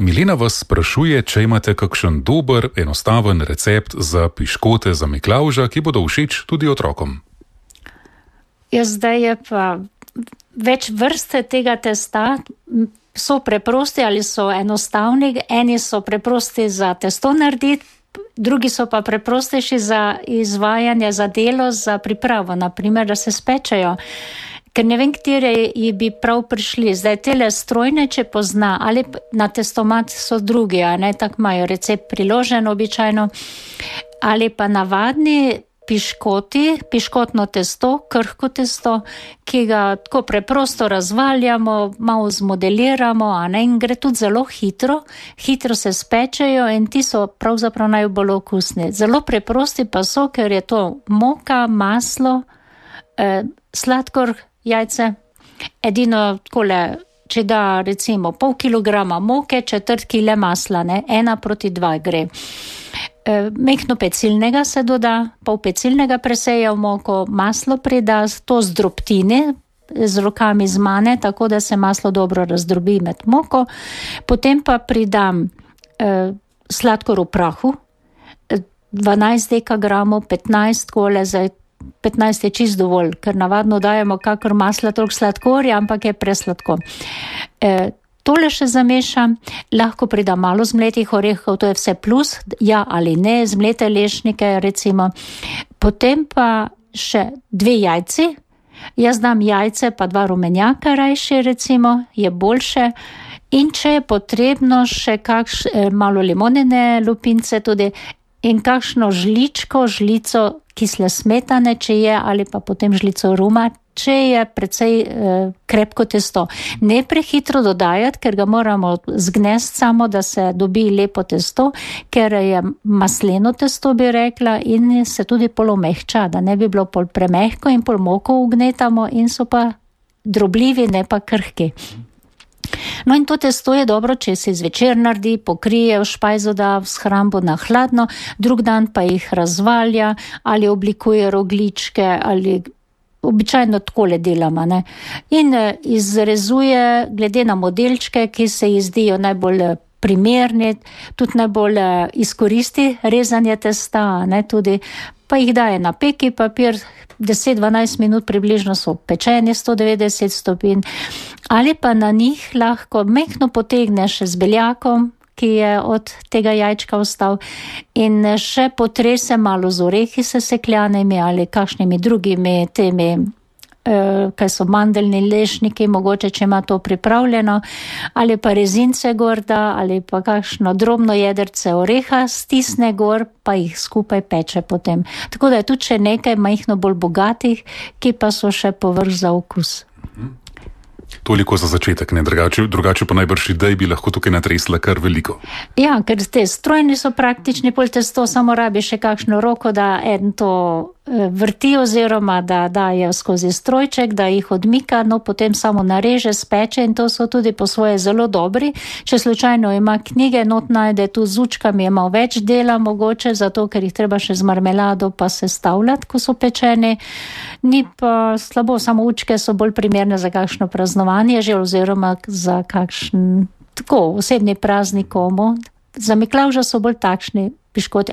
Milena vas sprašuje, če imate kakšen dober, enostaven recept za piškote za Miklavža, ki bodo všeč tudi otrokom. Ja, zdaj je pa več vrste tega testa, so preprosti ali so enostavni, eni so preprosti za testo narediti, drugi so pa preprostejši za izvajanje, za delo, za pripravo, naprimer, da se spečejo. Ker ne vem, katere bi prav prišli. Zdaj tele strojne, če pozna, ali na testomat so drugi, a ne, tako imajo recept priložen običajno, ali pa navadni piškoti, piškotno testo, krhko testo, ki ga tako preprosto razvaljamo, malo zmodeliramo, a ne, in gre tudi zelo hitro se spečejo in ti so pravzaprav najbolj okusni. Zelo preprosti pa so, ker je to moka, maslo, sladkor, jajce. Edino takole, če da recimo pol kilograma moke, 1/4 kile masla, ne, 1:2 gre. Mehko pecilnega se doda, pol pecilnega preseja v moko, maslo prida, to zdrobtini, z rokami zmane, tako da se maslo dobro razdrobi med moko. Potem pa pridam sladkor v prahu, 12 dekagramov, 15 kole, zdaj 15 je čist dovolj, ker navadno dajemo kakor masla toliko sladkorja, ampak je presladko. Tole še zamešam, lahko pridam malo zmletih orehov, to je vse plus, ja ali ne, zmlete lešnike recimo. Potem pa še 2 jajci, jaz dam jajce pa 2 rumenjaka rajši recimo, je boljše. In če je potrebno še malo limonine lupince tudi in kakšno žlico kisle smetane, če je, ali pa potem žlico ruma, če je precej krepko testo. Ne prehitro dodajati, ker ga moramo zgnesti samo, da se dobi lepo testo, ker je masleno testo, bi rekla, in se tudi pol omehča, da ne bi bilo pol premehko in pol moko ugnetamo in so pa drobljivi, ne pa krhki. No in to testo je dobro, če se zvečer naredi, pokrije, v špajzo da, v shrambo na hladno, drug dan pa jih razvalja ali oblikuje rogljičke ali običajno takole delamo, ne. In izrezuje glede na modelčke, ki se ji zdijo najbolj primerni, tudi najbolj izkoristi rezanje testa, ne, tudi pa jih daje na peki papir, 10-12 minut približno so pečeni, 190 stopinj, ali pa na njih lahko mehko potegneš z beljakom, ki je od tega jajčka ostal, in še potrese malo z orehi sesekljanimi ali kakšnimi drugimi temi, kaj so mandeljni lešniki, mogoče, če ima to pripravljeno, ali pa rezince gorda, ali pa kakšno drobno jedrce oreha stisne gor, pa jih skupaj peče potem. Tako da je tudi še nekaj majhno bolj bogatih, ki pa so še povrh za okus. Toliko za začetek, ne, drugače pa najbrž idej bi lahko tukaj natresla kar veliko. Ja, ker te strojni so praktični, pol testo samo rabi še kakšno roko, da en to vrti oziroma da daje skozi strojček, da jih odmika, no potem samo nareže, speče in to so tudi po svoje zelo dobri. Če slučajno ima knjige, not najde tu z učkami, ima več dela mogoče, zato ker jih treba še z marmelado pa sestavljati, ko so pečeni. Ni pa slabo, samo učke so bolj primerne za kakšno praznovanje že oziroma za kakšen tako osebni praznik komu. Za Miklavža so bolj takšni piškoti,